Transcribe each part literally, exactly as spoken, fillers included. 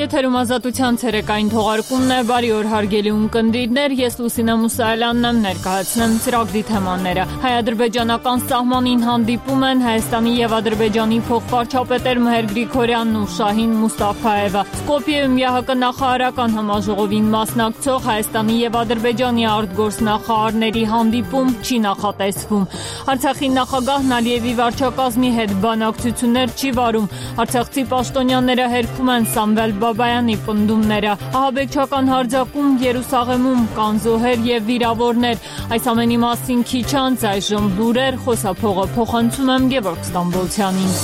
Եթերում ազատության ցերեկային թողարկումն է, բարի օր հարգելի ունկնդիրներ, ես Լուսինե Մուսայելյանն եմ, ներկայացնեմ ծրագրի թեմաները։ Հայ-ադրբեջանական սահմանին հանդիպում են Հայաստանի և Ադրբեջանի փոխվարչապետեր Մհեր Գրիգորյանն ու Շահին Մուստաֆայևը։ Սկոպիեում ԵՀԿ նախարարական համաժողովին մասնակցող Հայաստանի և Ադրբեջանի արտգործնախարարների հանդիպում չի նախատեսվում։ Արցախի նախագահն Ալիևի վարչակազմի հետ բանակցություններ չի վարում։ Արցախցի պաշտոնյաները հերքում են Սամվել Բաբայանի պնդումները։ Ահաբեկչական հարձակում Երուսաղեմում կան զոհեր և վիրավորներ։ Այս ամենի մասին քիչ անց այժմ լուրեր, խոսափողը փոխանցում եմ Գևորգ Ստամբոլցյանին։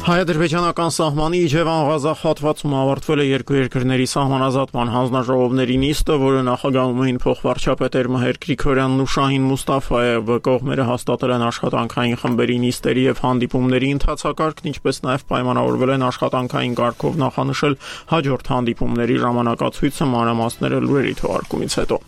Հայ-ադրբեջանական սահմանի Իջևան-Ղազախ հատվածում ավարտվել է երկու երկրների սահմանազատման հանձնաժողովների նիստը, որը նախագահում էին փոխվարչապետեր Մհեր Գրիգորյանն ու Շահին Մուստաֆայևը։ Կողմերը հաստատել են աշխատանքային խմբերի նիստերի և հանդիպումների ընթացակարգն, ինչպես նաև պայմանավորվել են աշխատանքային կարգով նախանշել հաջորդ հանդիպումների ժամանակացույցը, մանրամասները լուրերի թողարկումից հետո։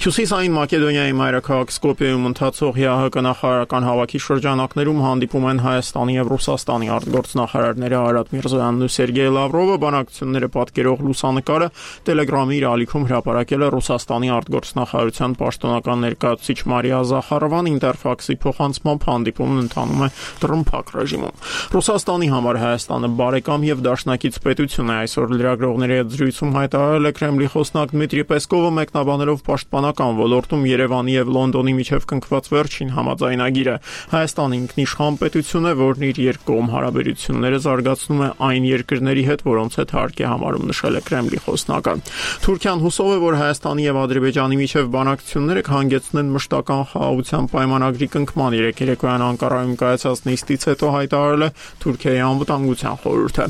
Հյուսիսային Մակեդոնիայի մայրաքաղաք Սկոպիեում ընթացող ԵԱՀԿ նախարարական հավաքի շրջանակներում հանդիպում են Հայաստանի և Ռուսաստանի արտգործնախարարները Նախարարները Արադ Միրզոյանն ու Սերգեյ Լավրովը բանակցությունները պատկերող լուսանկարը Տելեգրամի իր ալիքում հրապարակել է Ռուսաստանի արտգործնախարարության պաշտոնական ներկայացուցիչ Մարիա Զախարովան, ինտերֆաքսի փոխանցմամբ հանդիպումն ընթանում է տրմփակ ռեժիմում։ Ռուսաստանի համար Հայաստանը բարեկամ եւ դաշնակից պետություն է, այսօր լրագրողների հետ զրույցում հայտարարել է Կրեմլի խոսնակ Դմիտրի Պեսկովը, մեկնաբանելով պաշտպանական ոլորտում Երևանի եւ Լոնդոնի միջև կնքված վերջին համաձայնագիրը։ Հայաստանը ինքնիշխան պետություն է, որն իր երկկողմ հարաբերությունները զարգացնում է այն երկրների հետ, որոնց հետ հարկ է համարում, նշել է Կրեմլի խոսնակը։ Թուրքիան հուսով է, որ Հայաստանի եւ Ադրբեջանի միջև բանակցությունները կհանգեցնեն մշտական խաղաղության պայմանագրի կնքման։ Երեկ երեկոյան Անկարայում կայացած նիստից հետո հայտարարել է Թուրքիայի անվտանգության խորհուրդը։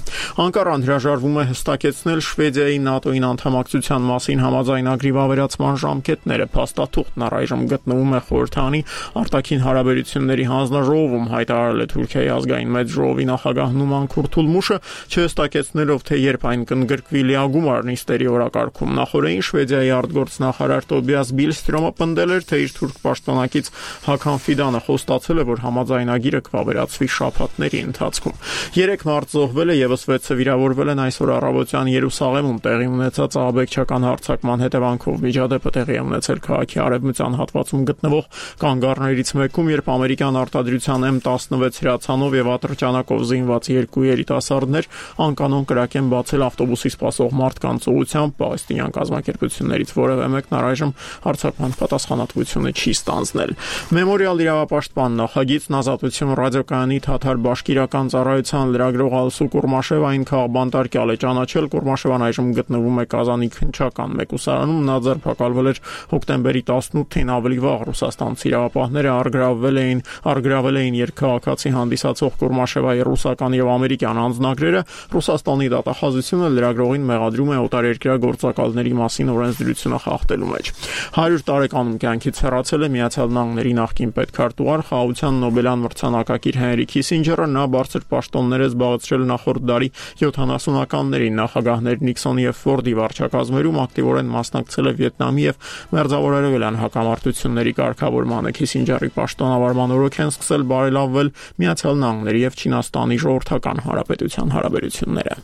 Անկարան հրաժարվում է հստակեցնել Շվեդիայի ՆԱՏՕ-ին անդամակցության մասին համաձայնագրի վավերացման ժամկետները։ Փաստաթուղթն առայժմ գտնվում է խորհրդանի արտաքին հարաբերությունների հանձնաժողովում, հայտարարել է Թուրքիայի ազգային մեծ ժողովի նախագահ Նուման Քուրթուլմուշը, չհստակեցնելով, թե երբ այն կընդգրկվի լիագումար նիստերի օրակարգում։ Նախորդին Շվեդիայի արտգործնախարար Տոբիաս Բիլստրոմը պնդել էր, թե իր թուրք պաշտոնակից Հական Ֆիդանը խոստացել է, որ համաձայնագիրը կվավերացվի շաբաթների ընթացքում։ Երեք մարդ զոհվել է, եւս վեցը վիրավորվել են այսօր առավոտյան Երուսաղեմում տեղի ունեցած ահաբեկչական հարձակման հետևանքով։ Միջադեպը տեղի է ունեցել քաղաքի արևմտյան հատվածում գտնվող կանգառներից մեկում, երբ ամերիկյան արտադրության էմ տասնվեց հրացանով եւ ատրճանակով զինված երկու երիտասարդներ անկանոն կրակ են բացել ավտոբուսի սպասող մարդկանց ուղղությամբ։ Պաղեստինյան կազմակերպություններից որևէ մեկն առայժմ հարձակման պատասխանատվությունը չի ստանձնել։ Մեմորիալ իրավապաշտպան նախագիծն Ազատություն ռադիոկայանի թաթար բաշկիրական ծառայության լրագրող Ալսու Կուրմաշևային քաղբանտարկյալ է ճանաչել։ Կուրմաշևան այժմ գտնվում է Կազանի քննչական մեկուսարանում։ Նա ձերբակալվել էր հոկտեմբերի տասնութին։ Ավելի վաղ ռուսաստանցի իրավապահները առգրավվել էին առգրավել էին երկքաղաքացի հանդիսացող Կուրմաշևայի ռուսական եւ ամերիկյան անձնագրերը։ Ռուսաստանի դատախազությունը լրագրողին մեղադրում է օտարերկրյա գործակալների մասին օրենսդրությունը խախտելու մեջ։ հարյուր տարեկանում կյանքից հեռացել է Միացյալ Նահանգների նախկին պետքարտուղար, խաղաղության Նոբելյան մրցանակակիր Հենրի Քիսինջերը։ Նա բարձր պաշտոններ է զբաղեցրել նախորդ դարի յոթանասունականներին։ Նախագահներ Նիքսոնի եւ Ֆորդի վարչակազմերում ակտիվորեն մասնակցել է Վիետնամի եւ մերձավորարևելյան հակամարտությունների կարգավորմանը։ Քիսինջերի պաշտոնավարման օրոք են սկսել բարելավվել Միացյալ Նահանգների եւ Չինաստանի ժողովրդական հանրապետության հարաբերությունները։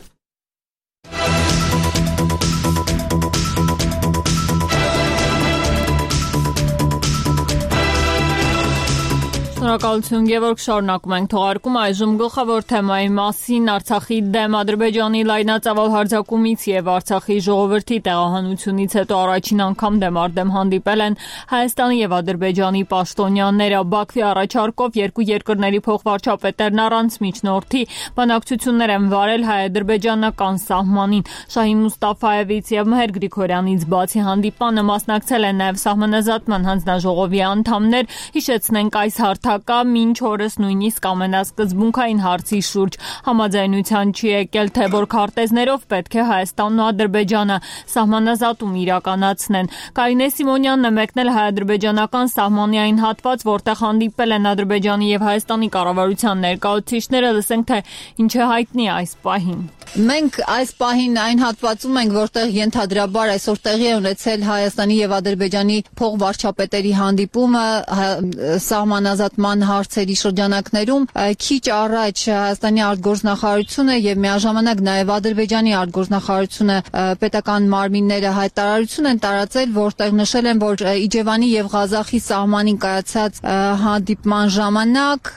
Շնորհակալություն Գևորգ, շարունակում ենք թողարկումը այժմ գլխավոր թեմայի մասին։ Արցախի դեմ Ադրբեջանի լայնածավալ հարձակումից եւ Արցախի ժողովրդի տեղահանությունից հետո առաջին անգամ դեմ առ դեմ հանդիպել են Հայաստանի եւ Ադրբեջանի պաշտոնյաները։ Բաքվի առաջարկով երկու երկրների փոխվարչապետերն առանց միջնորդի բանակցություններ են վարել հայ-ադրբեջանական սահմանին։ Շահին Մուստաֆայևից եւ Մհեր Գրիգորյանից բացի հանդիպանը մասնակցել են նաեւ Սահմանազատման հանձնաժողովի անդամներ։ Հիշեցնենք, այս հարթակը մինչ օրս նույնիսկ ամենասկզբունքային հարցի շուրջ համաձայնության չի եկել, թե որ քարտեզներով պետք է Հայաստանն ու Ադրբեջանը սահմանազատում իրականացնեն։ Կարինե Սիմոնյանն է մեկնել հայ-ադրբեջանական սահմանի այն հատված, որտեղ հանդիպել են Ադրբեջանի եւ Հայաստանի կառավարության ներկայացուցիչները։ Լսենք, թե ինչ է հայտնի այս պահին։ Մենք այս պահին այն հատվածում ենք, որտեղ ենթադրաբար այսօր տեղի է ունեցել Հայաստանի եւ Ադրբեջանի փոխվարչապետերի հանդիպումը սահմանազատման հանդիպման հարցերի շրջանակներում քիչ առաջ Հայաստանի արտգործնախարարությունը եւ միաժամանակ նաեւ Ադրբեջանի արտգործնախարարությունը պետական մարմինները հայտարարություն են տարածել, որտեղ նշել են, որ Իջևանի եւ Ղազախի սահմանին կայացած հանդիպման ժամանակ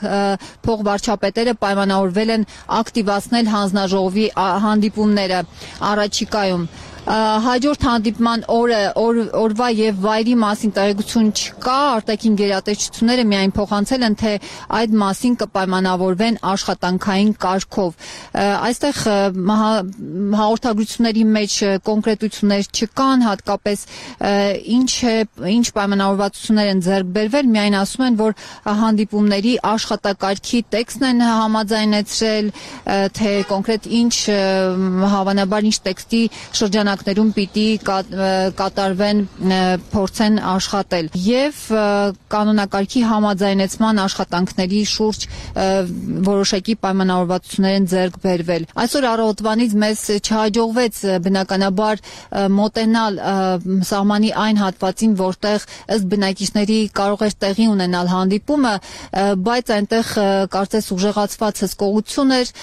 փոխվարչապետերը պայմանավորվել են ակտիվացնել հանձնաժողովի հանդիպումները առաջիկայում։ Հաջորդ հանդիպման օրը օր, օրվա եւ վայրի մասին տեղեկություն չկա, արտաքին գերատեսչությունները միայն փոխանցել են, թե այդ մասին կպայմանավորվեն աշխատանքային կարգով։ Այստեղ հաղորդագրությունների մեջ կոնկրետություններ չկան, հատկապես ինչ է, ինչ պայմանավորվածություններ են ձեռք բերվել, միայն ասում են, որ հանդիպումների աշխատակարգի տեքստն են համաձայնեցրել, թե կոնկրետ ինչ հավանաբար ինչ տեքստի շրջանակ ներում պիտի կատարվեն փորձեն աշխատել եւ կանոնակարգի համաձայնեցման աշխատանքների շուրջ որոշակի պայմանավորվածություններ են ձեռք բերվել։ Այսօր առավոտվանից մեզ չհաջողվեց բնականաբար մոտենալ սահմանի այն հատվածին, որտեղ ըստ բնակիչների կարող էր տեղի ունենալ հանդիպումը, բայց այնտեղ կարծես ուժեղացված հսկողություն էր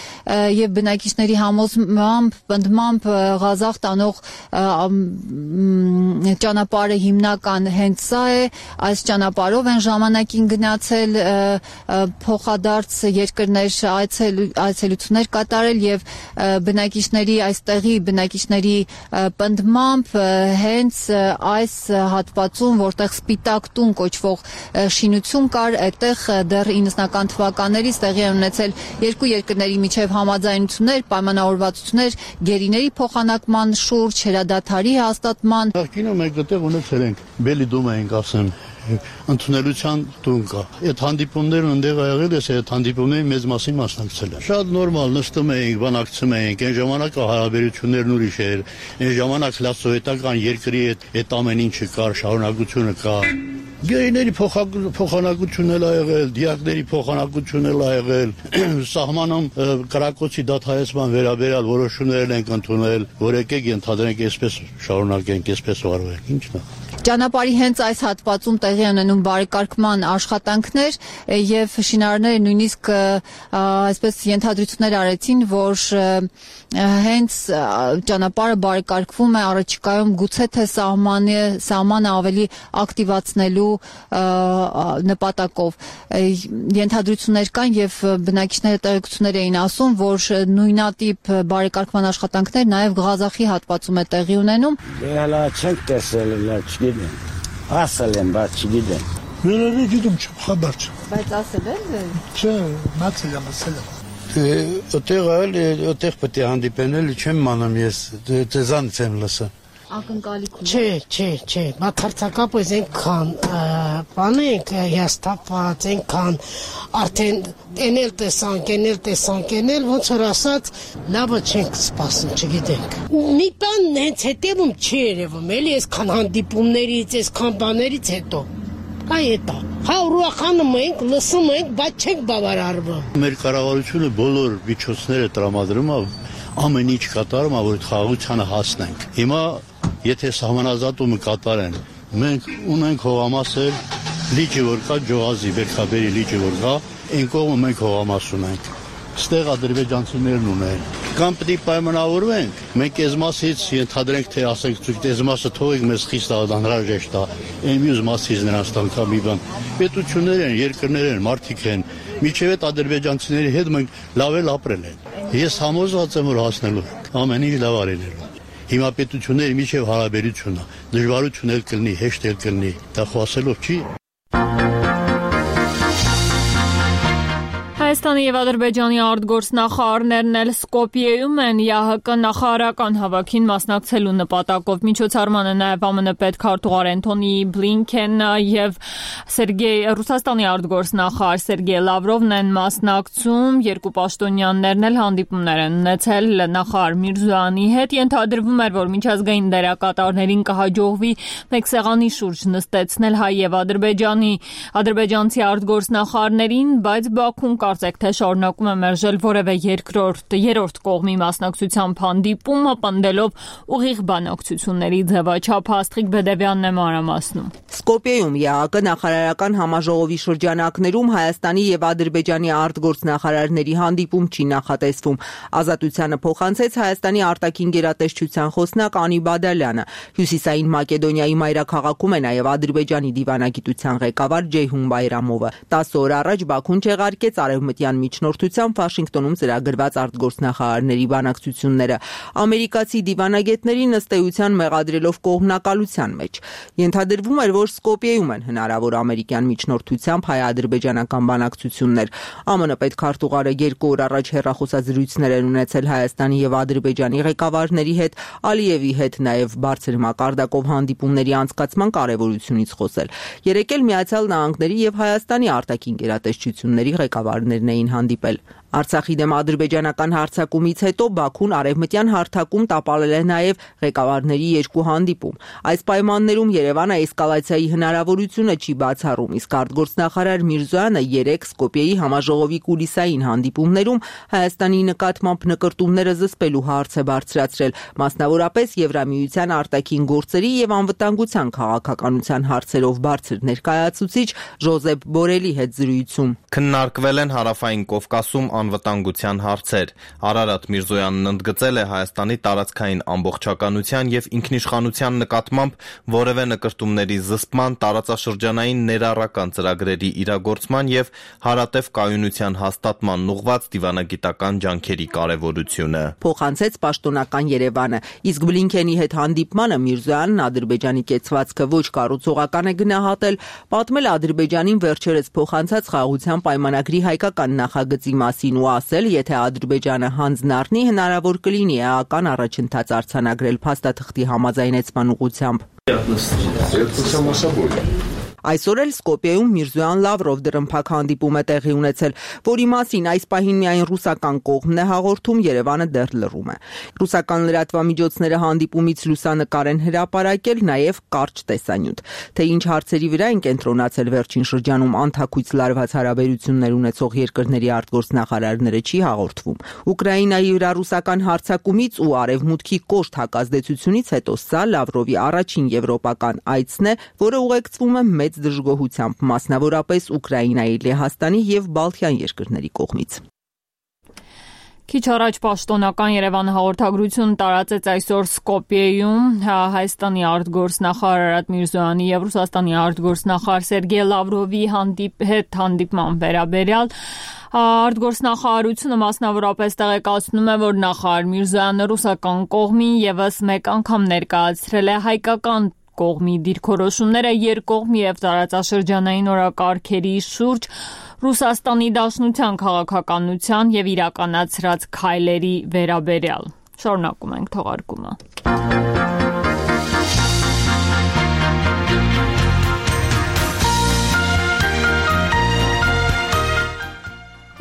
եւ բնակիչների համոզմամբ, պնդմամբ Ղազախ տանող ճանապարհը հիմնական հենց սա է, այս ճանապարհով են ժամանակին գնացել փոխադարձ երկրներ այցելություններ կատարել եւ բնակիչների այստեղի բնակիչների պնդմամբ հենց այս հատվածում, որտեղ Սպիտակ տուն կոչվող շինություն կար, այդտեղ դեռ իննսունական թվականներից տեղի են ունեցել երկու երկրների միջև համաձայնություններ, պայմանավորվածություններ գերիների փոխանակման շուրջ հրադադարի հաստատման։ Նախկինում մենք այդտեղ ունեցել ենք Բելի դումա ենք ասեմ ընդունելության տուն կա։ Այդ հանդիպումներն ընդեղ ա եղել ես, այդ հանդիպումների մեծ մասին մասնակցել եմ։ Շատ նորմալ նստում էինք, բանակցում էինք, այն ժամանակ հարաբերություններն ուրիշ էր, այն ժամանակ լասովետական երկրի այդ այդ ամեն ինչը կար, շարունակությունը կա։ Գերիների փոխանակություն էլ ա եղել, դիակների փոխանակություն էլ ա եղել, սահմանում կրակոցի դադարեցման վերաբերյալ որոշումներ ենք ընդունել, որ եկեք ենթադրենք այսպես շարունակենք, այսպես վարվենք, ի՞նչն է։ Ճանապարհի հենց այս հատվածում տեղի ունենում բարեկարգման աշխատանքներ եւ շինարարները նույնիսկ այսպես ենթադրություններ արեցին, որ հենց ճանապարհը բարեկարգվում է առաջիկայում գուցե թե սահմանը սահմանը ավելի ակտիվացնելու նպատակով։ Ենթադրություններ կան եւ բնակիչները տեղեկություններ էին ասում, որ նույնատիպ բարեկարգման աշխատանքներ նաեւ Ղազախի հատվածում է տեղի ունենում։ Հələ չենք տեսել, չգիտեմ։ Ասել եմ, բայց չգիտեմ։ Վերևի գիտում չեմ, խաբար չեմ։ Բայց ասել եք։ Չէ, մացել եմ, ասել եմ։ Այդտեղ էլ, այդտեղ պետք է հանդիպեն, էլի չեմ մանում ես, դեզանից եմ լսա։ Ակնկալիքում։ Չէ, չէ, չէ, բացարձակապես այնքան բան ենք հիասթափված, այնքան արդեն էնել տեսանք, էնել տեսանք, էնել ոնց որ ասած լավը չենք սպասում, չգիտենք։ Մի բան հենց հետևում չի երևում, էլի այսքան հանդիպումներից, այսքան բաներից հետո։ Այ էտա։ Հա ուրախանում ենք, լսում ենք, բայց չենք բավարարվում։ Մեր կառավարությունը բոլոր միջոցները տրամադրում է, ամեն ինչ կատարում է, որ խաղաղությանը հասնենք։ Հիմա եթե սահմանազատումը կատարեն, մենք ունենք հողամասեր, լիճը որ կա, Ջոհազի, Բերքաբերի լիճը որ կա, այն կողմը մենք հողամաս ունենք։ Ստեղ ադրբեջանցիներն ունեն։ Կամ պետք է պայմանավորվենք, մենք այս մասից ենթադրենք, թե ասենք, ցույց այս մասը թողեք մեզ խիստ անհրաժեշտ է, այն մյուս մասից նրանց տանք մի բան։ Պետություններ են, երկրներ են, մարդիկ են, միջև այդ ադրբեջանցիների հետ մենք լավ էլ ապրել ենք։ Ես համոզված եմ, որ հասնելու ամեն ինչ լավ արելու։ Հիմա պետությունների միջև հարաբերությունն է, դժվարություն էլ կլինի, հեշտ էլ կլինի, դա խոսելով չի։ Հայաստանի եւ Ադրբեջանի արտգործնախարարներն էլ Սկոպիեում են ԵԱՀԿ նախարարական հավաքին մասնակցելու նպատակով։ Միջոցառմանը նաեւ ԱՄՆ պետքարտուղար Անթոնի Բլինքենը եւ Սերգեյ Ռուսաստանի արտգործնախարար Սերգեյ Լավրովն են մասնակցում։ Երկու պաշտոնյաներն էլ հանդիպումներ են ունեցել նախարար Միրզոյանի հետ։ Ենթադրվում էր, որ միջազգային դերակատարներին կհաջողվի մեկ սեղանի շուրջ նստեցնել հայ եւ Ադրբեջանի ադրբեջանցի արտգործնախարարներին, բայց Բաքուն կարծես կարծեք, թե շարունակում է մերժել որևէ երկրորդ, երրորդ կողմի մասնակցությամբ հանդիպումը, պնդելով ուղիղ բանակցությունների ձևաչափ։ Աստղիկ Բեդևյանն է մանրամասնում։ Սկոպիեում ԵԱԿ նախարարական համաժողովի շրջանակներում Հայաստանի եւ Ադրբեջանի արտգործնախարարների հանդիպում չի նախատեսվում։ Ազատությանը փոխանցեց Հայաստանի արտաքին գերատեսչության խոսնակ Անի Բադալյանը։ Հյուսիսային Մակեդոնիայի մայրաքաղաքում է նաեւ Ադրբեջանի դիվանագիտության ղեկավար Ջեյհուն Բայրամովը։ տասը օր առաջ Բաքուն չեղարկեց արևմտյան միջնորդությամբ Վաշինգտոնում ծրագրված արտգործնախարարների բանակցությունները։ Ամերիկացի դիվանագետներին ըստ էության մեղադրելով կողմնակալության մեջ։ Ենթադրվում էր, որ Սկոպիեում են հնարավոր ամերիկյան միջնորդությամբ հայ-ադրբեջանական բանակցություններ։ ԱՄՆ պետքարտուղարը երկու օր առաջ հեռախոսազրույցներ են ունեցել Հայաստանի եւ Ադրբեջանի ղեկավարների հետ, Ալիևի հետ նաեւ բարձր մակարդակով հանդիպումների անցկացման կարեւորությունից խոսել։ Երեկ էլ Միացյալ Նահանգների եւ Հայաստանի արտաքին գերատեսչությունների ղեկավարներն էին հանդիպել։ Արցախի դեմ ադրբեջանական հարձակումից հետո Բաքուն արևմտյան հարթակում տապալել է նաև ղեկավարների երկու հանդիպում։ Այս պայմաններում Երևանը էսկալացիայի հնարավորությունը չի բացառում, իսկ արտգործնախարար Միրզոյանը երեք Սկոպիեի համաժողովի կուլիսային հանդիպումներում Հայաստանի նկատմամբ նկրտումները զսպելու հարց է բարձրացրել, մասնավորապես Եվրամիության արտաքին գործերի եւ անվտանգության քաղաքականության հարցերով բարձր ներկայացուցիչ Ժոզեփ Բորելի հետ զրույցում։ Քննարկվել են Հարավային Կովկասում անվտանգության հարցեր։ Արարատ Միրզոյանն ընդգծել է Հայաստանի տարածքային ամբողջականության եւ ինքնիշխանության նկատմամբ որևէ նկրտումների զսպման, տարածաշրջանային ներառական ծրագրերի իրագործման եւ հարատև կայունության հաստատման ուղղված դիվանագիտական ջանքերի կարեւորությունը։ Փոխանցեց պաշտոնական Երևանը, իսկ Բլինքենի հետ հանդիպմանը Միրզոյանն Ադրբեջանի կեցվածքը ոչ կառուցողական է գնահատել, պատմել Ադրբեջանին վերջերս փոխանցած խաղաղության պայմանագրի հայկական նախագծի մասին ու ասել, եթե Ադրբեջանը հանձն առնի, հնարավոր կլինի էական առաջընթաց արձանագրել փաստաթղթի համաձայնեցման ուղղությամբ։ Այսօր էլ Սկոպիեում Միրզոյան-Լավրով դրըմփակ հանդիպում է տեղի ունեցել, որի մասին այս պահին միայն ռուսական կողմն է հաղորդում, Երևանը դեռ լռում է։ Ռուսական լրատվամիջոցները հանդիպումից լուսանկար են հրապարակել, նաև կարճ տեսանյութ։ Թե ինչ հարցերի վրա են կենտրոնացել վերջին շրջանում անթաքույց լարված հարաբերություններ ունեցող երկրների արտգործնախարարները չի հաղորդվում։ Ուկրաինայի վրա ռուսական հարձակումից ու արևմուտքի կոշտ հակազդեցությունից հետո սա Լավրովի առաջին եվրոպական այցն է, որը ուղեկցվում է մեծ դժգոհությամբ, մասնավորապես Ուկրաինայի, Լեհաստանի եւ Բալթյան երկրների կողմից։ Քիչ առաջ պաշտոնական Երևան հաղորդագրություն տարածեց այսօր Սկոպիեում Հայաստանի արտգործնախարար Արարատ Միրզոյանի եւ Ռուսաստանի արտգործնախարար Սերգեյ Լավրովի հանդիպ հետ հանդիպման վերաբերյալ արտգործնախարարությունը մասնավորապես տեղեկացնում է, որ նախարար Միրզոյանը ռուսական կողմին եւս մեկ անգամ ներկայացրել է հայկական կողմի դիրքորոշումները երկկողմ եւ տարածաշրջանային օրակարգերի շուրջ Ռուսաստանի Դաշնության քաղաքականության եւ իրականացրած քայլերի վերաբերյալ։ Շարունակում ենք թողարկումը։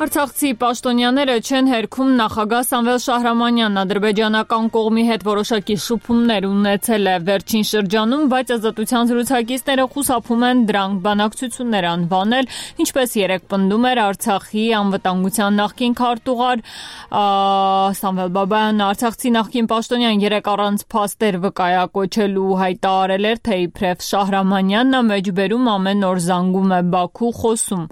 Արցախցի պաշտոնյաները չեն հերքում նախագահ Սամվել Շահրամանյանն ադրբեջանական կողմի հետ որոշակի շփումներ ունեցել է վերջին շրջանում, բայց ազատության զրուցակիցները խուսափում են դրանք բանակցություններ անվանել, ինչպես երեկ պնդում էր Արցախի անվտանգության նախկին քարտուղար Սամվել Բաբայանն։ Արցախցի նախկին պաշտոնյան երեկ առանց փաստեր վկայակոչելու հայտարարել էր, թե իբրև Շահրամանյանն մեջբերում ամեն օր զանգում է Բաքու, խոսում։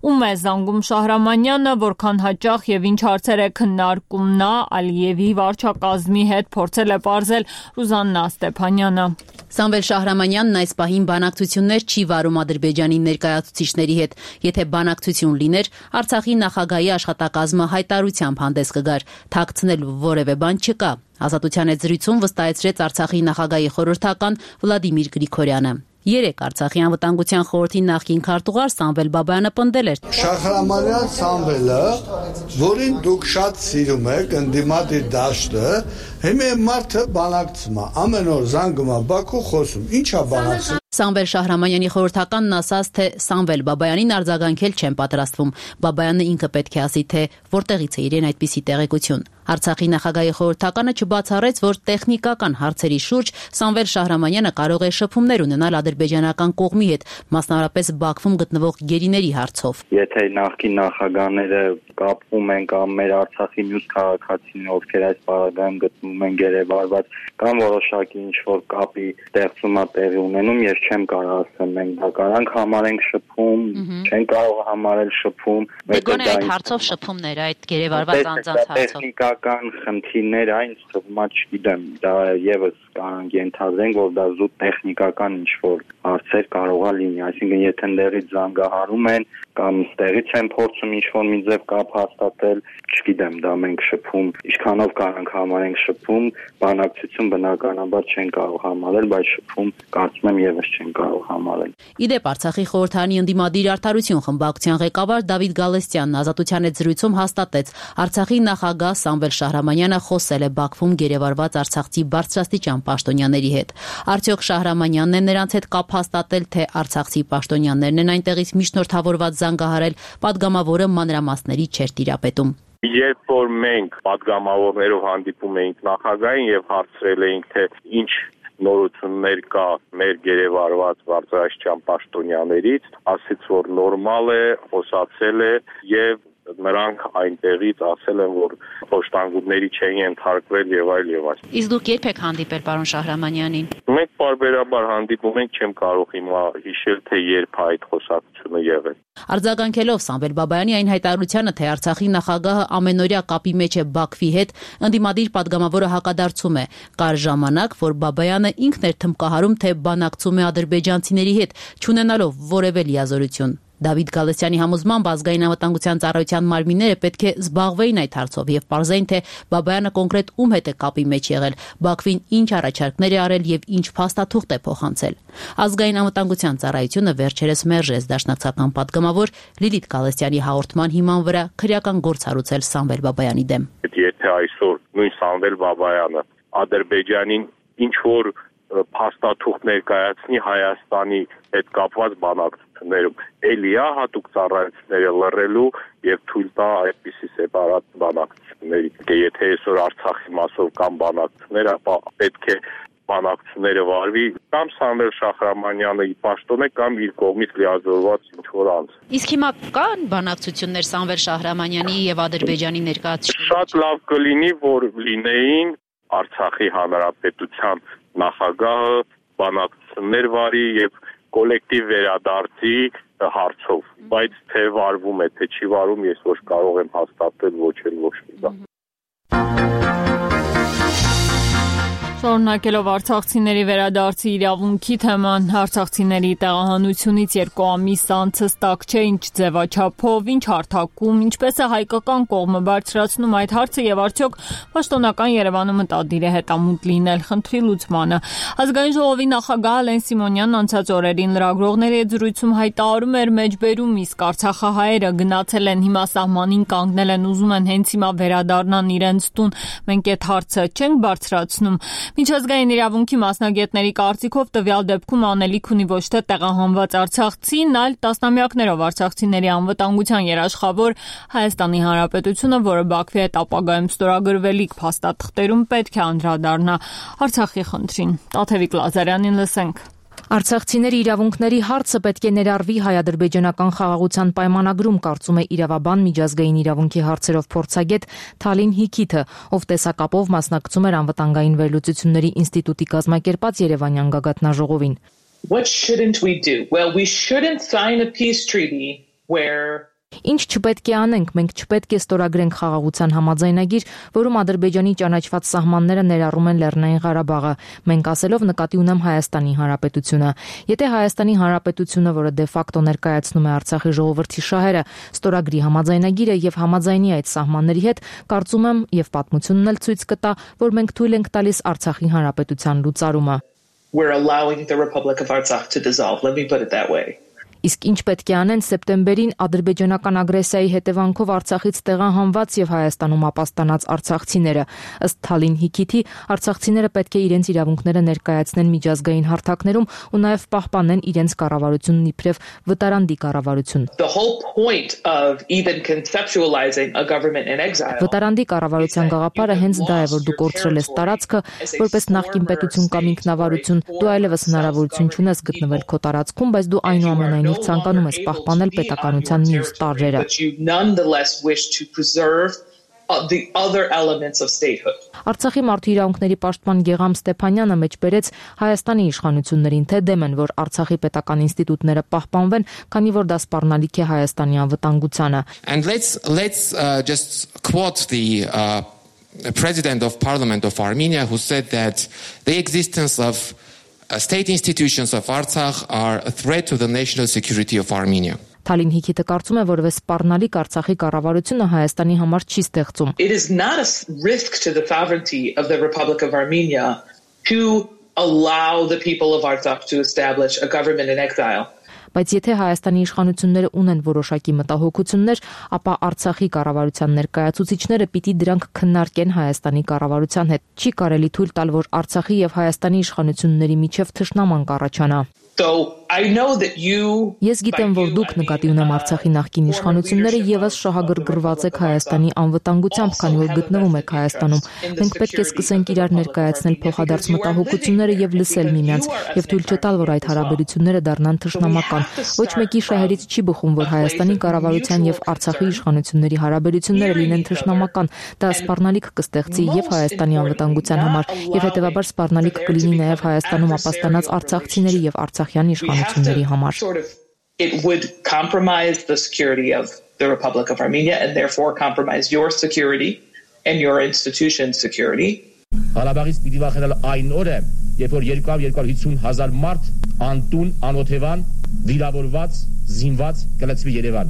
Ում է զանգում Շահրամանյանը, որքան հաճախ եւ ինչ հարցեր է քննարկում նա Ալիևի վարչակազմի հետ, փորձել է պարզել Ռուզաննա Ստեփանյանը։ Սամվել Շահրամանյանն այս պահին բանակցություններ չի վարում Ադրբեջանի ներկայացուցիչների հետ։ Եթե բանակցություն լիներ, Արցախի նախագահի աշխատակազմը հայտարարությամբ հանդես կգար, թաքցնելու որևէ բան չկա։ Ազատության հետ զրույցում վստահեցրեց Արցախի նախագահի խորհրդական Վլադիմիր Գրիգորյանը։ Երեկ Արցախի անվտանգության խորհրդի նախկին քարտուղար Սամվել Բաբայանը պնդել էր. Շահրամանյան Սամվելը, որին դուք շատ սիրում եք, ընդդիմադիր դաշտը, Հիմա մարդը բանակցում է, ամեն օր զանգում է Բաքու խոսում, ի՞նչ է բանակցում։ Սամվել Շահրամանյանի խորհրդականն ասաց, թե Սամվել Բաբայանին արձագանքել չեն պատրաստվում։ Բաբայանը ինքը պետք է ասի, թե որտեղից է իրեն այդպիսի տեղեկություն։ Արցախի նախագահի խորհրդականը չբացառեց, որ տեխնիկական հարցերի շուրջ Սամվել Շահրամանյանը կարող է շփումներ ունենալ ադրբեջանական կողմի հետ, մասնավորապես Բաքվում գտնվող գերիների հարցով։ Եթե նախկին նախագահները կապվում են կամ մեր Արցախի մյուս քաղաքացիներ, ովքեր այս պարագայում գտնվում են գերեվարված, կամ որոշակի ինչ-որ կապի ստեղծումա տեղի ունենում, ես չեմ կարող ասել մենք դա կարանք համարենք շփում, չեն կարող համարել շփում։ Դե գոնե այդ հարցով շփումներ, այդ գերեվարված անձանց հարցով Կան խնդիրներ այն թվում է, չգիտեմ, դա եւս կարող ենթադրենք, որ դա զուտ տեխնիկական ինչ-որ հարցեր կարող է լինի, այսինքն եթե ընդերից զանգահարում են կամ ստեղից են փորձում ինչ-որ մի ձև կապ հաստատել, չգիտեմ, դա մենք շփում, ինչքանով կարանք համարենք շփում, բանակցություն բնականաբար չեն կարող համարել, բայց շփում կարծում եմ եւս չեն կարող համարել։ Իդեպ Արցախի խորհրդարանի ընդդիմադիր Արդարություն խմբակցության ղեկավար Դավիթ Գալստյանն Ազատության հետ զրույցում հաստատեց, Արցախի նախագահ Սամվել Շահրամանյանը խոսել է Բաքվում գերեվարված արցախցի բարձրաստիճան պաշտոնյաների հետ։ Արդյոք Շահրամանյանն է նրանց հետ կապ հաստատել, թե արցախցի պաշտոնյաներն են այնտեղից միջնորդավորված զանգահարել, պատգամավորը մանրամասների չէր տիրապետում։ Երբ որ մենք պատգամավորներով հանդիպում էինք նախագահին եւ հարցրել էինք, թե ինչ նորություններ կա մեր գերեվարված բարձրաստիճան պաշտոնյաներից, ասաց, որ նորմալ է, խոսացել է եւ նրանք այնտեղից ասել են, որ փոշտանգուտների չեն ենթարկվել եւ այլ եւ այլ։ Իսկ դուք երբ եք հանդիպել պարոն Շահրամանյանին։ Մենք բարբերաբար հանդիպում ենք, չեմ կարող հիմա հիշել, թե երբ այդ խոսակցությունը եղել։ Արձագանքելով Սամվել Բաբայանի այն հայտարարությանը, թե Արցախի նախագահը ամենօրյա կապի մեջ է Բաքվի հետ, ընդդիմադիր պատգամավորը հակադարձում է. կար ժամանակ, որ Բաբայանը ինքն էր թմկահարում, թե բանակցում է ադրբեջանցիների հետ, չունենալով որևէ լիազորություն։ Դավիթ Գալստյանի համոզմամբ ազգային անվտանգության ծառայության մարմինները պետք է զբաղվեին այդ հարցով եւ պարզեին, թե Բաբայանը կոնկրետ ում հետ է կապի մեջ եղել, Բաքվին ինչ առաջարկներ է արել եւ ինչ փաստաթուղթ է փոխանցել։ Ազգային անվտանգության ծառայությունը վերջերս մերժեց դաշնակցական պատգամավոր Լիլիթ Գալստյանի հաղորդման հիման վրա քրեական գործ հարուցել Սամվել Բաբայանի դեմ։ Եթե այսօր նույն Սամվել Բաբայանը Ադրբեջանին ինչ որ փաստաթուղթ ներկայացնի Հայաստանի հետ կապված բանակցություններում, էլի է հատուկ ծառայությունները լռելու եւ թույլ տա այդպիսի սեպարատ բանակցությունների։ Եթե այսօր Արցախի մասով կամ բանակցություններ, ապա պետք է բանակցությունները վարվի կամ Սամվել Շահրամանյանը ի պաշտոն է կամ իր կողմից լիազորված ինչ-որ անձ։ Իսկ հիմա կան բանակցություններ Սամվել Շահրամանյանի եւ Ադրբեջանի ներկայացուցիչների։ Շատ լավ կլինի, որ լինեին Արցախի հանրապետության նախագահը բանակցություններ վարի եւ կոլեկտիվ վերադարձի հարցով, բայց թե վարվում է, թե չի վարում, ես ոչ կարող եմ հաստատել ոչ էլ ոչ մի բան։ Շարունակելով արցախցիների վերադարձի իրավունքի թեման, արցախցիների տեղահանությունից երկու ամիս անց հստակ չէ ինչ ձևաչափով, ինչ հարթակում, ինչպես է հայկական կողմը բարձրացնում այդ հարցը եւ արդյոք պաշտոնական Երևանը մտադիր է հետամուտ լինել խնդրի լուծմանը։ Ազգային ժողովի նախագահ Ալեն Սիմոնյանն անցած օրերին լրագրողների հետ զրույցում հայտարարում էր մեջբերում, իսկ արցախահայերը գնացել են, հիմա սահմանին կանգնել են, ուզում են հենց հիմա վերադառնան իրենց տուն։ Մենք այդ հարցը չենք բարձրացնում։ Միջազգային իրավունքի մասնագետների կարծիքով տվյալ դեպքում անելիք ունի ոչ թե տեղահանված արցախցին, այլ տասնամյակներով արցախցիների անվտանգության երաշխավոր Հայաստանի Հանրապետությունը, որը Բաքվի հետ ապագայում ստորագրվելիք փաստաթղթերում պետք է անդրադառնա Արցախի խնդրին։ Տաթևիկ Լազարյանին լսենք։ Արցախցիների իրավունքների հարցը պետք է ներառվի հայ-ադրբեջանական խաղաղության պայմանագրում, կարծում է իրավաբան միջազգային իրավունքի հարցերով փորձագետ Թալին Հիքիթը, ով տեսակապով մասնակցում էր անվտանգային վերլուծությունների ինստիտուտի կազմակերպած Երևանյան գագաթնաժողովին։ What shouldn't we do? Well, we shouldn't sign a peace treaty where Ինչ չպետք է անենք, մենք չպետք է ստորագրենք խաղաղության համաձայնագիր, որում Ադրբեջանի ճանաչված սահմանները ներառում են Լեռնային Ղարաբաղը, մենք ասելով նկատի ունեմ Հայաստանի Հանրապետությունը։ Եթե Հայաստանի Հանրապետությունը, որը դե ֆակտո ներկայացնում է Արցախի ժողովրդի շահերը, ստորագրի համաձայնագիրը եւ համաձայնի այդ սահմանների հետ, կարծում եմ եւ պատմությունն էլ ցույց կտա, որ մենք թույլ ենք տալիս Արցախի Հանրապետության լուծարումը։ We're allowing the Republic of Artsakh to dissolve. Let me put it that way. Իսկ ինչ պետք է անեն սեպտեմբերին ադրբեջանական ագրեսիայի հետևանքով Արցախից տեղահանված եւ Հայաստանում ապաստանած արցախցիները։ Ըստ Թալին Հիքիթի, արցախցիները պետք է իրենց իրավունքները ներկայացնեն միջազգային հարթակներում ու նաեւ պահպանեն իրենց կառավարությունն իբրև վտարանդի կառավարություն։ The whole point of even conceptualizing a government in exile. Վտարանդի կառավարության գաղափարը հենց դա է, որ դու կորցրել ես տարածքը, որպես նախկին պետություն կամ ինքնավարություն, դու այլևս հնարավորություն չունես գտնվել քո տարածքում, բայց դու այնուամենայնիվ ցանկանում ես պահպանել պետականության մյուս տարրերը։ The other elements of statehood. Արցախի մարդու իրավունքների պաշտպան Գեգամ Ստեփանյանը մեջբերեց Հայաստանի իշխանություններին, թե դեմ են, որ Արցախի պետական ինստիտուտները պահպանվեն, քանի որ դա սպառնալիք է Հայաստանի անվտանգությանը։ And let's let's uh, just quote the uh, President of Parliament of Armenia, who said that the existence of uh, state institutions of Artsakh are a threat to the national security of Armenia. Թալին Հիքիթը կարծում է, որովհետեւ սպառնալիք Արցախի կառավարությունը Հայաստանի համար չի ստեղծում։ It is not a risk to the sovereignty of the Republic of Armenia to allow the people of Artsakh to establish a government in exile. Բայց եթե Հայաստանի իշխանությունները ունեն որոշակի մտահոգություններ, ապա Արցախի կառավարության ներկայացուցիչները պիտի դրանք քննարկեն Հայաստանի կառավարության հետ։ Չի կարելի թույլ տալ, որ Արցախի եւ Հայաստանի իշխանությունների միջև թշնամանք առաջանա։ So I know that you Ես գիտեմ, որ դուք նկատի ունեմ Արցախի նախկին իշխանությունները եւս շահագրգռված եք Հայաստանի անվտանգությամբ, քանի որ գտնվում եք Հայաստանում։ Մենք պետք է սկսենք իրար ներկայացնել փոխադարձ մտահոգությունները եւ լսել միմյանց, եւ թույլ չտալ, որ այդ հարաբերությունները դառնան թշնամական։ Ոչ մեկի շահերից չի բխում, որ Հայաստանի կառավարության եւ Արցախի իշխանությունների հարաբերությունները լինեն թշնամական։ Դա սպառնալիք կստեղծի եւ Հայաստանի անվտանգության համար, եւ հետեւաբար սպառնալիք կլինի նաեւ Հայաստանում ապաստանած արցախցիների եւ Արցախյան իշխանությունների համար։ It would compromise the security of the Republic of Armenia and therefore compromise your security and your institution's security. Ղարաբաղից պիտի վախենալ այն օրը, երբ որ երկու հիսուն հազար մարդ անտուն, անօթևան, վիրավորված, զինված կլցվի Երևան։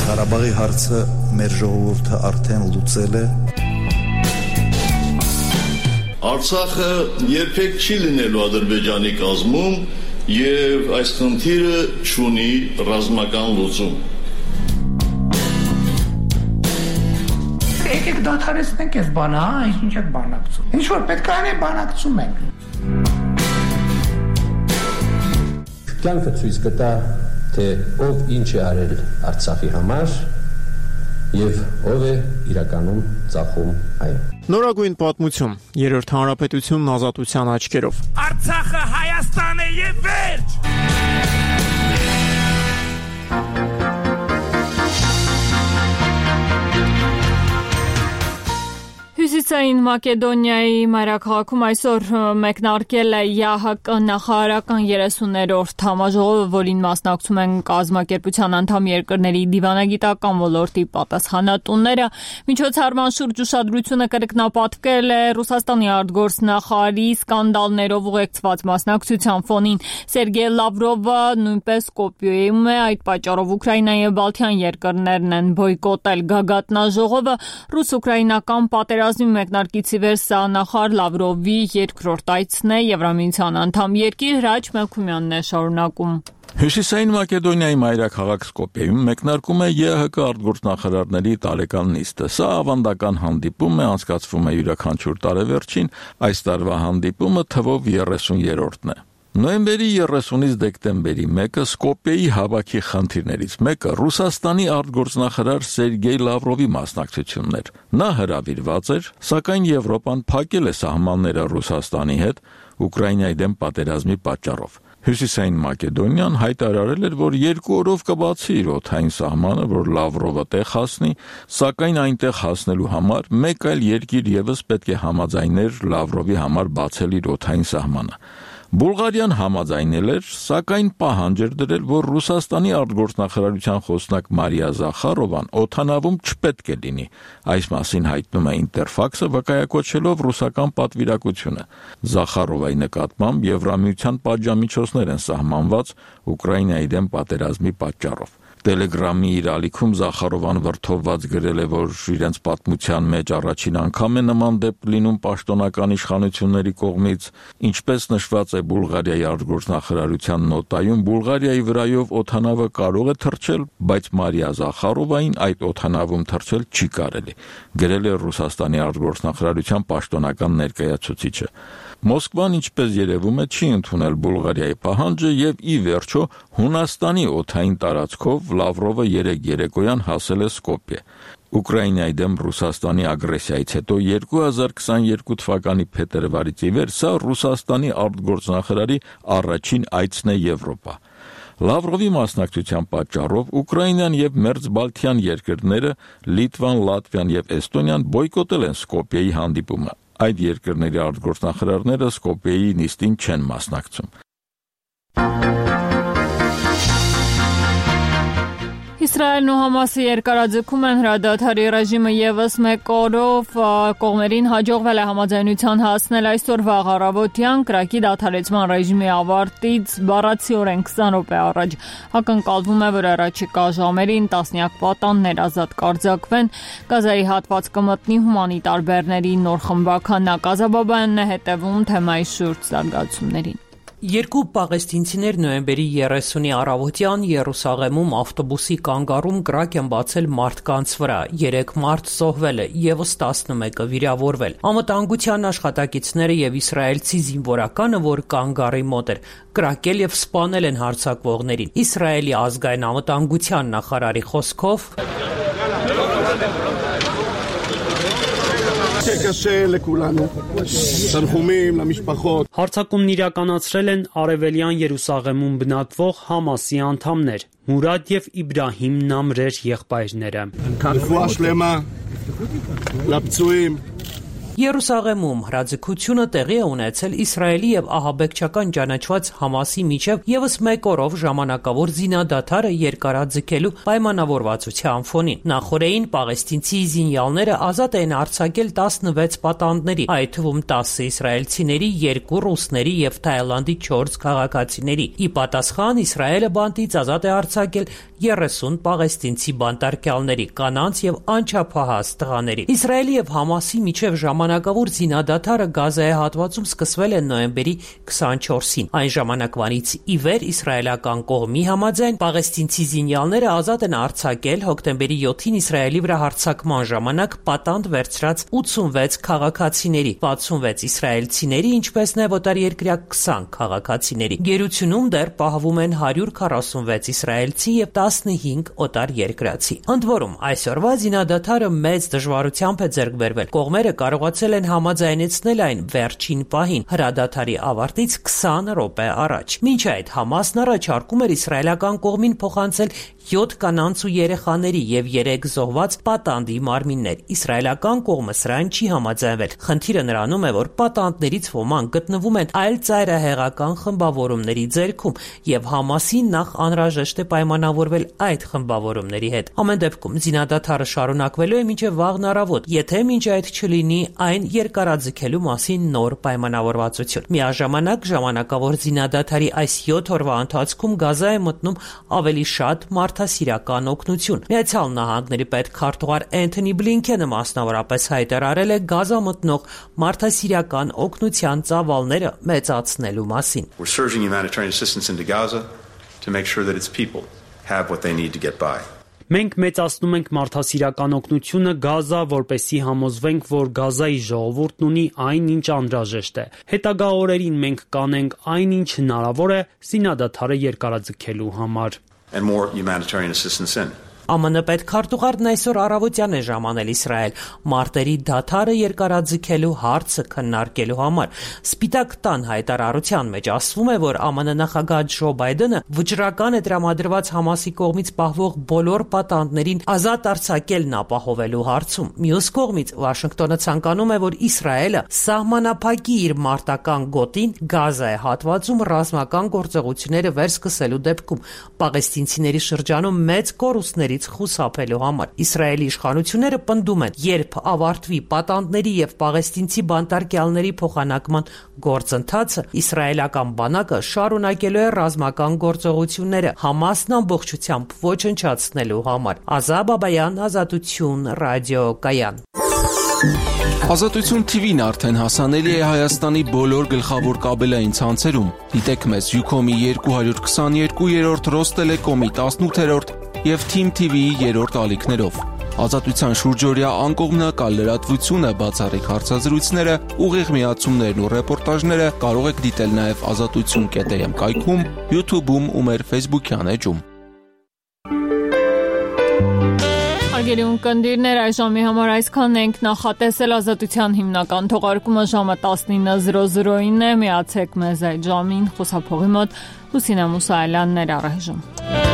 Ղարաբաղի հարցը մեր ժողովուրդը արդեն լուծել է։ Արցախը երբեք չի լինելու Ադրբեջանի կազմում եւ այս խնդիրը չունի ռազմական լուծում։ Եկեք դադարեցնենք այս բանը, հա, ինչ եք բանակցում։ Ինչ որ պետք է անենք, բանակցում ենք։ Կյանքը ցույց կտա, թե ով ինչ է արել Արցախի համար եւ ով է իրականում ծախում այն։ Նորագույն պատմություն, երրորդ հանրապետությունն ազատության աչքերով։ Արցախը Հայաստան է եւ վերջ։ Հյուսիսային Մակեդոնիայի մայրաքաղաքում այսօր մեկնարկել է ԵԱՀԿ նախարարական երեսուններորդ համաժողովը, որին մասնակցում են կազմակերպության անդամ երկրների դիվանագիտական ոլորտի պատասխանատուները։ Միջոցառման շուրջ ուշադրությունը կրկնապատկվել է Ռուսաստանի արտգործնախարարի սկանդալներով ուղեկցված մասնակցության ֆոնին։ Սերգեյ Լավրովը նույնպես Սկոպյեում է, այդ պատճառով Ուկրաինայի եւ Բալթյան երկրներն են բոյկոտել գագաթնաժողովը։ Ռուս-ուկրաինական պատերազմի մեկնարկից ի վեր սա նախարար Լավրովի երկրորդ այցն է Եվրամիության անդամ երկիր։ Հրաչ Մելքումյանն է շարունակում։ Հյուսիսային Մակեդոնիայի մայրաքաղաք Սկոպյեում մեկնարկում է ԵԱՀԿ արտգործնախարարների տարեկան նիստը։ Սա ավանդական հանդիպում է, անցկացվում է յուրաքանչյուր տարեվերջին, այս տարվա հանդիպումը թվով երեսուներորդն է։ Նոյեմբերի երեսունից դեկտեմբերի մեկը Սկոպյեի հավաքի խնդիրներից մեկը Ռուսաստանի արտգործնախարար Սերգեյ Լավրովի մասնակցությունն էր։ Նա հրավիրված էր, սակայն Եվրոպան փակել է սահմանները Ռուսաստանի հետ Ուկրաինայի դեմ պատերազմի պատճառով։ Հյուսիսային Մակեդոնիան հայտարարել էր, որ երկու օրով կբացի իր օդային սահմանը, որ Լավրովը տեղ հասնի, սակայն այնտեղ հասնելու համար մեկ այլ երկիր եւս պետք է համաձայներ Լավրովի համար բացել իր օդային սահմանը։ Բուլղարիան համաձայնել էր, սակայն պահանջ էր դրել, որ Ռուսաստանի արտգործնախարարության խոսնակ Մարիա Զախարովան օդանավում չպետք է լինի։ Այս մասին հայտնում է Ինտերֆաքսը, վկայակոչելով ռուսական պատվիրակությունը։ Զախարովայի նկատմամբ Եվրամիության պատժամիջոցներ են սահմանված Ուկրաինայի դեմ պատերազմի պատճառով։ Տելեգրամի իր ալիքում Զախարովան վրթովված գրել է, որ իրենց պատմության մեջ առաջին անգամ է նման դեպք լինում պաշտոնական իշխանությունների կողմից, ինչպես նշված է Բուլղարիայի արտգործնախարարության նոտայում, Բուլղարիայի վրայով օդանավը կարող է թռչել, բայց Մարիա Զախարովային այդ օդանավում թռչել չի կարելի, գրել է Ռուսաստանի արտգործնախարարության պաշտոնական ներկայացուցիչը։ Մոսկվան, ինչպես երևում է, չի ընդունել Բուլղարիայի պահանջը եւ ի վերջո Հունաստանի օդային տարածքով Լավրովը երեկ երեկոյան հասել է Սկոպյե։ Ուկրաինայի դեմ Ռուսաստանի ագրեսիայից հետո երկու հազար քսաներկու թվականի փետրվարից ի վեր սա Ռուսաստանի արտգործնախարարի առաջին այցն է Եվրոպա։ Լավրովի մասնակցության պատճառով Ուկրաինան եւ Մերձբալթյան երկրները Լիտվան, Լատվիան եւ Էստոնիան բոյկոտել են Սկոպյեի հանդիպումը։ Այդ երկրների արտգործնախարարները Սկոպյեի նիստին չեն մասնակցում։ Իսրայելն ու Համասը երկարաձգում են հրադադարի ռեժիմը եւս մեկ օրով կողմերին հաջողվել է համաձայնության հասնել այսօր վաղ առավոտյան կրակի դադարեցման ռեժիմի ավարտից բառացիորեն քսան րոպե առաջ։ Ակնկալվում է, որ առաջիկա ժամերին տասնյակ պատաններ ազատ կարձակվեն, Գազայի հատված կմտնի հումանիտար բեռների նոր խմբաքանակ։ Ազաբաբանն է հետևում թեմայի շուրջ զարգացումներին։ Երկու պաղեստինցիներ նոյեմբերի երեսունի առավոտյան Երուսաղեմում ավտոբուսի կանգառում կրակ են բացել մարդկանց վրա։ Երեք մարդ զոհվել է, եւս տասնմեկը վիրավորվել։ Անվտանգության աշխատակիցները եւ իսրայելցի զինվորականը, որ կանգառի մոտ էր, կրակել եւ սպանել են հարձակվողներին։ Իսրայելի ազգային անվտանգության նախարարի խոսքով Հարձակումն իրականացրել են արևելյան Երուսաղեմում բնակվող Համասի անդամներ՝ Մուրադ եւ Իբրահիմ Նամրեր եղբայրները։ Երուսաղեմում հրաձգությունը տեղի է ունեցել Իսրայելի եւ ահաբեկչական ճանաչված Համասի միջև եւս մեկ օրով ժամանակավոր զինադադարը երկարաձգելու պայմանավորվածության ֆոնին։ Նախորդին պաղեստինցի զինյալները ազատ են արձակել տասնվեց պատանդների, այդ թվում տասը իսրայելցիների, երկու ռուսների եւ Թայլանդի չորս քաղաքացիների։ Ի պատասխան Իսրայելը բանտից ազատ է արձակել երեսուն պաղեստինցի բանտարկյալների, կանանց եւ անչափահաս տղաների։ Իսրայելի եւ Համասի միջև ժամանակավոր զինադադարը Գազայի հատվածում սկսվել է նոյեմբերի քսանչորսին։ Այն ժամանակվանից ի վեր իսրայելական կողմի համաձայն պաղեստինցի զինյալները ազատ են արձակել հոկտեմբերի յոթին Իսրայելի վրա հարձակման ժամանակ պատանդ վերցրած ութսունվեց քաղաքացիների, վաթսունվեց իսրայելցիների, ինչպես նաև օտարերկրյա քսան քաղաքացիների։ Գերությունում դեռ պահվում են հարյուր քառասունվեց իսրայելցի եւ տասնհինգ օտարերկրացի։ Ընդ որում, այսօրվա զինադադարը մեծ դժվարությամբ է ձեռք բերվել։ Կողմերը կարողացել են համաձայնեցնել այն վերջին պահին, հրադադարի ավարտից քսան րոպե առաջ։ Մինչ այդ Համասն առաջարկում էր իսրայելական կողմին փոխանցել յոթ կանանց ու երեխաների եւ երեք զոհված պատանդի մարմիններ։ Իսրայելական կողմը սրան չի համաձայնվել։ Խնդիրը նրանում է, որ պատանդներից ոմանք գտնվում են այլ ծայրահեղական խմբավորումների ձեռքում եւ Համասին նախ անհրաժեշտ է պայմանավորվել այդ խմբավորումների հետ։ Ամեն դեպքում զինադադարը շարունակվելու է մինչև վաղն առավոտ, եթե մինչ այդ չլինի այն երկարաձգելու մասին նոր պայմանավորվածություն։ Միաժամանակ ժամանակավոր զինադադարի այս յոթ օրվա ընթացքում Գազա է մտնում ավելի շատ մարդասիրական օգնություն։ Միացյալ Նահանգների պետքարտուղար Էնթոնի Բլինքենը մասնավորապես հայտարարել է Գազա մտնող մարդասիրական օգնության ծավալները մեծացնելու մասին։ We're surging humanitarian assistance into Gaza to make sure that its people have what they need to get by. Մենք մեծացնում ենք մարդասիրական օգնությունը Գազա, որպեսզի համոզվենք, որ Գազայի ժողովուրդն ունի այն, ինչ անհրաժեշտ է։ Հետագա օրերին մենք կանենք այն, ինչ հնարավոր է զինադադարը երկարաձգելու համար։ And more humanitarian assistance in. ԱՄՆ պետքարտուղարն այսօր առավոտյան է ժամանել Իսրայել մարտերի դադարը երկարաձգելու հարցը քննարկելու համար։ Սպիտակ տան հայտարարության մեջ ասվում է, որ ԱՄՆ նախագահ Ջո Բայդենը վճռական է տրամադրված Համասի կողմից պահվող բոլոր պատանդներին ազատ արձակելն ապահովելու հարցում։ Մյուս կողմից Վաշինգտոնը ցանկանում է, որ Իսրայելը սահմանափակի իր մարտական գոտին Գազայի հատվածում ռազմական գործողությունները վերսկսելու դեպքում պաղեստինցիների շրջանում մեծ կորուստների գործողություններից խուսափելու համար։ Իսրայելի իշխանությունները պնդում են, երբ ավարտվի պատանդների եւ պաղեստինցի բանտարկյալների փոխանակման գործընթացը, իսրայելական բանակը շարունակելու է ռազմական գործողությունները Համասն ամբողջությամբ ոչնչացնելու համար։ Ազա Բաբայան, Ազատություն, ռադիոկայան։ Ազատություն թիվին արդեն հասանելի է Հայաստանի բոլոր գլխավոր կաբելային ցանցերում։ Դիտեք մեզ Յուքոմի երկու հարյուր քսաներկու, Ռոստելեկոմի տասնութերորդ եւ Թիմ թիվիի երրորդ ալիքներով։ Ազատության շուրջօրյա անկողմնակալ լրատվությունը, բացառիկ հարցազրույցները, ուղիղ միացումներն ու ռեպորտաժները կարող եք դիտել նաեւ ազատություն կետ էմ կայքում, YouTube-ում ու մեր Facebook-յան էջում։ Հարգելի ունկնդիրներ, այս ժամի համար այսքան ենք, նախատեսել Ազատության հիմնական թողարկումը ժամը տասնինը է, միացեք մեզ այդ ժամին, խոսափողի մոտ Լուսինե Մուսայելյանն էր առայժմ։